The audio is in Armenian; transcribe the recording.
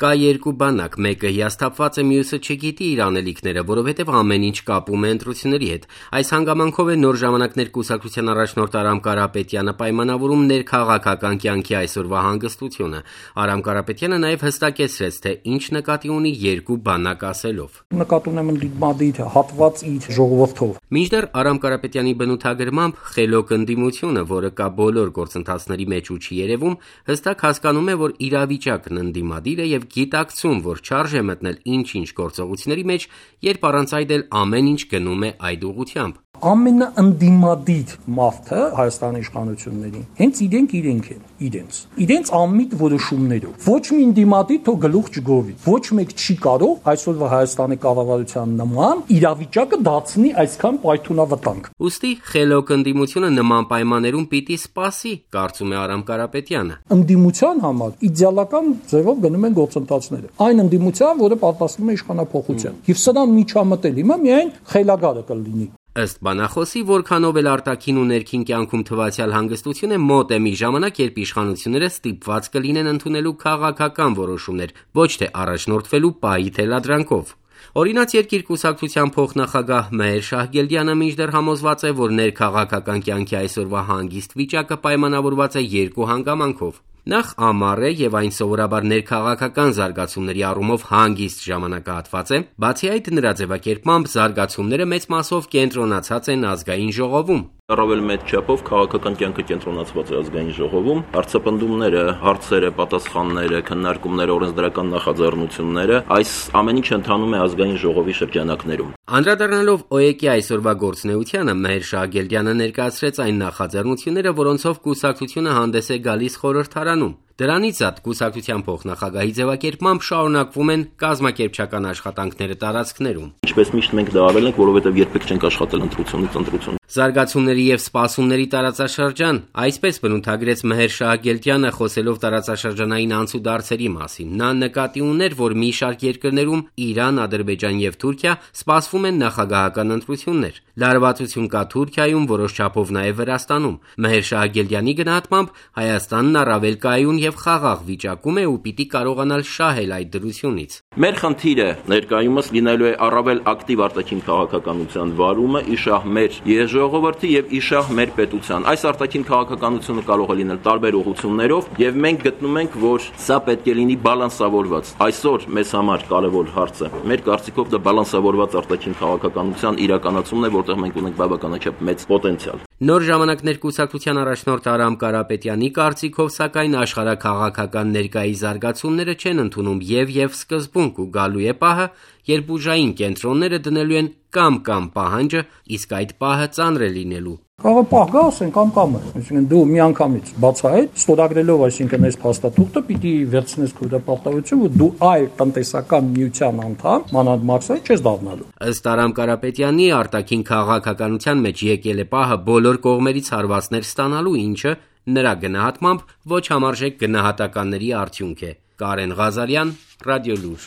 Կա երկու բանակ, մեկը հիասթափված է, մյուսը չգիտի իր անելիքները, որովհետև ամեն ինչ կապում է ընտրությունների հետ։ Այս հանգամանքով է Նոր ժամանակներ կուսակցության առաջնորդ Արամ Կարապետյանը պայմանավորում ներքաղաքական կյանքի այսօրվա հանգստությունը։ Արամ Կարապետյանը նաև հստակեցրեց, թե ինչ նկատի ունի երկու բանակ ասելով. Նկատի ունեմ ընդդիմադիր հատված իր ժողովրդով։ Մինչդեռ Արամ Կարապետյանի բնութագրմամբ խելոք ընդդիմությունը, որը կա բոլոր գործընթացների մեջ ու չի երևում, հստակ հասկանում է, որ իրավիճակն ընդդիմադիր է եւ գիտակցում, որ չարժ է մտնել ինչ-ինչ գործողությունների մեջ, երբ առանց այդ էլ ամեն ինչ գնում է այդ ուղղությամբ։ Ամենաընդդիմադիր մարդը Հայաստանի իշխանություններին հենց իրենք են, իրենց անմիտ որոշումներով։ Ոչ մի ընդդիմադիր թող գլուխ չգովի։ Ոչ մեկ չի կարող այսօրվա Հայաստանի կառավարության նման իրավիճակը դարձնի այսքան պայթունավտանգ։ Ուստի խելոք ընդդիմությունը նման պայմաններում պիտի սպասի, կարծում է Արամ Կարապետյանը։ Ընդդիմության համար իդեալական ձևով գնում են գործընթացները։ Այն ընդդիմության, որը պատասխանում է իշխանափոխության։ Եվ սրան միջամտել հիմա միայն խելագարը կլինի։ Ըստ բանախոսի, որքանով էլ արտաքին ու ներքին կյանքում թվացյալ հանգստություն է, մոտ է մի ժամանակ, երբ իշխանությունները ստիպված կլինեն ընդունելու քաղաքական որոշումներ, ոչ թե առաջնորդվելու պահի թելադրանքով։ Օրինաց երկիր կուսակցության փոխնախագահ Մեհեր Շահգելդյանը մինչդեռ համոզված է, որ ներքաղաքական կյանքի այսօրվա հանգիստ վիճակը պայմանավորված է երկու հանգամանքով։ Նախ ամառ է եւ այն սովորաբար ներքաղաքական զարգացումների առումով հանգիստ ժամանակահատված է, բացի այդ նրա ձևակերպմամբ զարգացումները մեծ մասով կենտրոնացած են ազգային ժողովում։ Առավել մեծ չափով քաղաքական կյանքը կենտրոնացված է ազգային ժողովում, հարցապնդումները, հարցերը, պատասխանները, քննարկումները, օրենսդրական նախաձեռնությունները, այս ամեն ինչ ընթանում է ազգային ժողովի շրջանակներում։ Անդրադառնալով ՕԵԿ-ի այսօրվա գործունեությանը, Մեհեր Շահգելդյանը ներկայացրեց այն նախաձեռնությունները, որոնցով կուսակցությունը հանդես է գալիս խորհրդարանում։ Դրանից զատ կուսակցության փոխնախագահի ձևակերպմամբ շարունակվում են կազմակերպչական աշխատանքները տարածքներում։ Ինչպես միշտ մենք դա արել ենք, որովհետև երբեք չենք աշխատել ընտրությունից ընտրություն։ Զարգացումների եւ սպասումների տարածաշրջան, այսպես բնութագրեց Մեհեր Շահգելդյանը, խոսելով տարածաշրջանային անցուդարձերի մասին։ Նա նկատի ուներ, որ մի շարք երկրներում Իրան, Ադրբեջան եւ Թուրքիա սպասվում են նախագահական ընտրություններ։ Լարվածություն կա Թուրքիայում, որոշ չափով նաեւ Վրաստանում։ Մեհեր Շահգելդյանի գնահատմամբ Հայաստանն առավել կայուն եւ խաղաղ վիճակում է ու պիտի կարողանալ շահել այդ դրությունից։ Մեր խնդիրը ներկայումս լինելու է առավել ակտիվ արտաքին քաղաքականության վարումը, իշահ մեր ժողովրդի եւ իշահ մեր պետության։ Այս արտաքին քաղաքականությունը կարող է լինել տարբեր ուղղություններով եւ մենք գտնում ենք, որ սա պետք է լինի բալանսավորված։ Այսօր մեզ համար կարևոր հարցը մեր կարծիքով դա բալանսավորված արտաքին քաղաքականության իրականացումն է, որտեղ մենք ունենք բավականաչափ մեծ պոտենցիալ։ Նոր ժամանակներ կուսակցության առաջնորդ Արամ Կարապետյանի կարծիքով, սակայն աշխարհաքաղաքական ներկայի զարգացումները չեն ընդունում եւ սկզբունք ու գալու է պահը, երբ ուժային կենտրոնները դնելու են կամ պահանջը, իսկ այդ պահը ծանր է լինելու։ Կարող պահ գա, ասեն կամ է, այսինքն դու միանգամից բացահայտ ստորագրելով, այսինքն այս փաստաթուղթը պիտի վերցնես քո դեպարտավություն, որ դու այլ տնտեսական միության անդամ, մանավանդ մաքսայի չես դառնալու։ Ըստ Արամ Կարապետյանի, արտաքին քաղաքականության մեջ եկել է պահը բոլոր կողմերից հարվածներ ստանալու, ինչը նրա գնահատմամբ ոչ համարժեք գնահատականների արդյունք է։ Կարեն Ղազարյան, Ռադիոլուր։